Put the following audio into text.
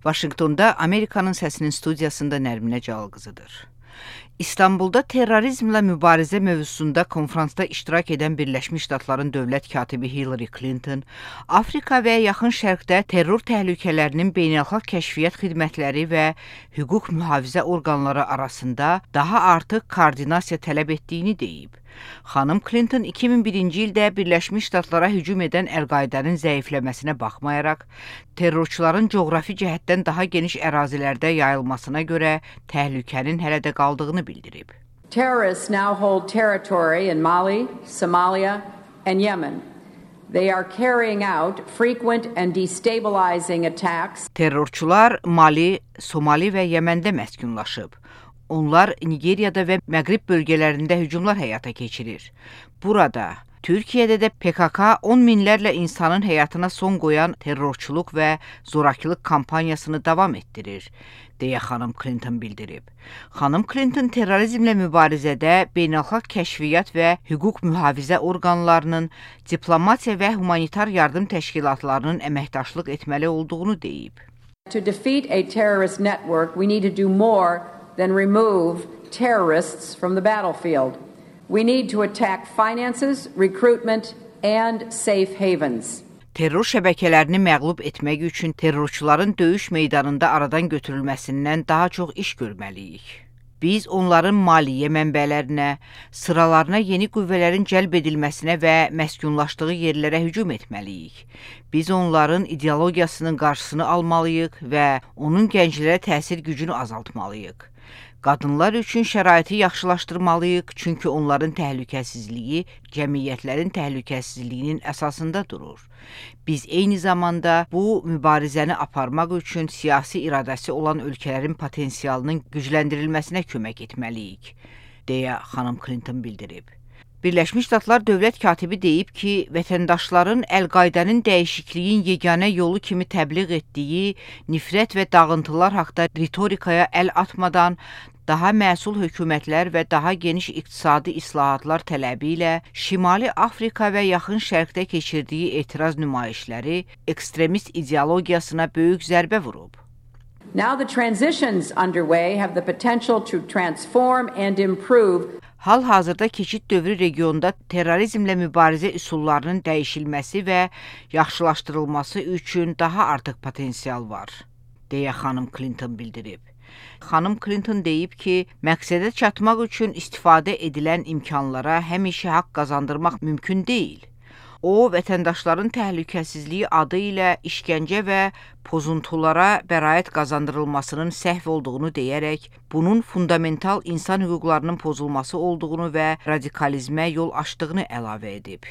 Vaşinqtonda Amerikanın Səsinin studiyasında Nərminə Cəlqızıdır. İstanbulda terrorizmlə mübarizə mövzusunda konfransda iştirak edən Birləşmiş Ştatların dövlət katibi Hillary Clinton, Afrika və Yaxın Şərqdə terror təhlükələrinin beynəlxalq kəşfiyyat xidmətləri və hüquq mühafizə orqanları arasında daha artıq koordinasiya tələb etdiyini deyib. Xanım Clinton 2001-ci ildə Birləşmiş Ştatlara hücum edən Əl-Qaidənin zəifləməsinə baxmayaraq, terrorçuların coğrafi cəhətdən daha geniş ərazilərdə yayılmasına görə təhlükənin hələ də qaldığını bildirib. Terrorists now hold territory in Mali, Somalia and Yemen. They are carrying out frequent and destabilizing attacks. Terrorçular Mali, Somali və Yəməndə məskunlaşıb. Onlar Nigeriyada və Məğrib bölgələrində hücumlar həyata keçirir. Burada, Türkiyədə də PKK 10 minlərlə insanın həyatına son qoyan terrorçuluq və zorakılıq kampaniyasını davam etdirir, deyə xanım Clinton bildirib. Xanım Clinton terrorizmlə mübarizədə beynəlxalq kəşfiyyat və hüquq mühafizə orqanlarının, diplomatiya və humanitar yardım təşkilatlarının əməkdaşlıq etməli olduğunu deyib. To defeat a terrorist network, we need to do more than remove terrorists from the battlefield. We need to attack finances, recruitment and safe havens. Terror şəbəkələrini məğlub etmək üçün terrorçuların döyüş meydanında aradan götürülməsindən daha çox iş görməliyik. Biz onların maliyyə mənbələrinə, sıralarına yeni qüvvələrin cəlb edilməsinə və məskunlaşdığı yerlərə hücum etməliyik. Biz onların ideologiyasının qarşısını almalıyıq və onun gənclərə təsir gücünü azaltmalıyıq. Qadınlar üçün şəraiti yaxşılaşdırmalıyıq, çünki onların təhlükəsizliyi cəmiyyətlərin təhlükəsizliyinin əsasında durur. Biz eyni zamanda bu mübarizəni aparmaq üçün siyasi iradəsi olan ölkələrin potensialının gücləndirilməsinə kömək etməliyik, deyə xanım Clinton bildirib. Birləşmiş Ştatlar dövlət katibi deyib ki, vətəndaşların Əl-Qaidənin dəyişikliyin yeganə yolu kimi təbliğ etdiyi nifrət və dağıntılar haqda ritorikaya əl atmadan, daha məsul hökumətlər və daha geniş iqtisadi islahatlar tələbi ilə Şimali Afrika və Yaxın Şərqdə keçirdiyi etiraz nümayişləri ekstremist ideologiyasına böyük zərbə vurub. Now the transitions underway have the potential to transform and improve. Hal-hazırda keçid dövrü regionda terrorizmlə mübarizə üsullarının dəyişilməsi və yaxşılaşdırılması üçün daha artıq potensial var, deyə xanım Clinton bildirib. Xanım Clinton deyib ki, məqsədə çatmaq üçün istifadə edilən imkanlara həmişə haqq qazandırmaq mümkün deyil. O, vətəndaşların təhlükəsizliyi adı ilə işgəncə və pozuntulara bəraət qazandırılmasının səhv olduğunu deyərək, bunun fundamental insan hüquqlarının pozulması olduğunu və radikalizmə yol açdığını əlavə edib.